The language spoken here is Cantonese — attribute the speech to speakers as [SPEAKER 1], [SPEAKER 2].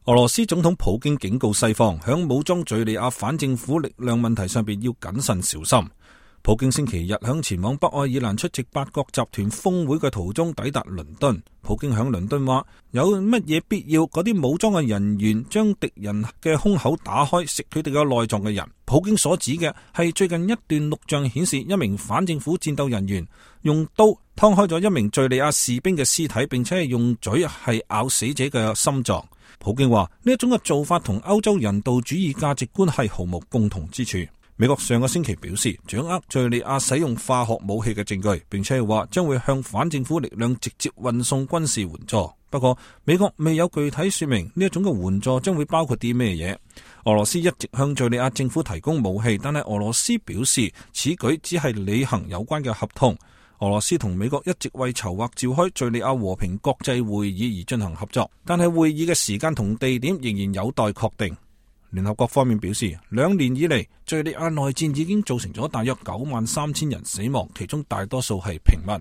[SPEAKER 1] 俄羅斯總統普京警告西方，響武裝敘利亞反政府力量問題上邊要謹慎小心。普京星期日響前往北愛爾蘭出席8國集團峰會嘅途中抵達倫敦。普京響倫敦話：有乜嘢必要嗰啲武裝嘅人員將敵人嘅胸口打開，食佢哋嘅內臟嘅人？普京所指嘅係最近一段錄像顯示，一名反政府戰鬥人員用刀劏開咗一名敘利亞士兵嘅屍體，並且係用嘴係咬死者嘅心臟。普京話呢一種嘅做法同歐洲人道主義價值觀係毫無共同之處。美國上個星期表示掌握敘利亞使用化學武器嘅證據，並且係話將會向反政府力量直接運送軍事援助。不過美國未有具體說明呢一種嘅援助將會包括啲咩嘢。俄羅斯一直向敘利亞政府提供武器，但係俄羅斯表示此舉只係履行有關嘅合同。俄羅斯同美國一直為籌劃召開敘利亞和平國際會議而進行合作，但係會議嘅時間同地點仍然有待確定。聯合國方面表示，2年以嚟，敘利亞內戰已經造成咗大約93000人死亡，其中大多數係平民。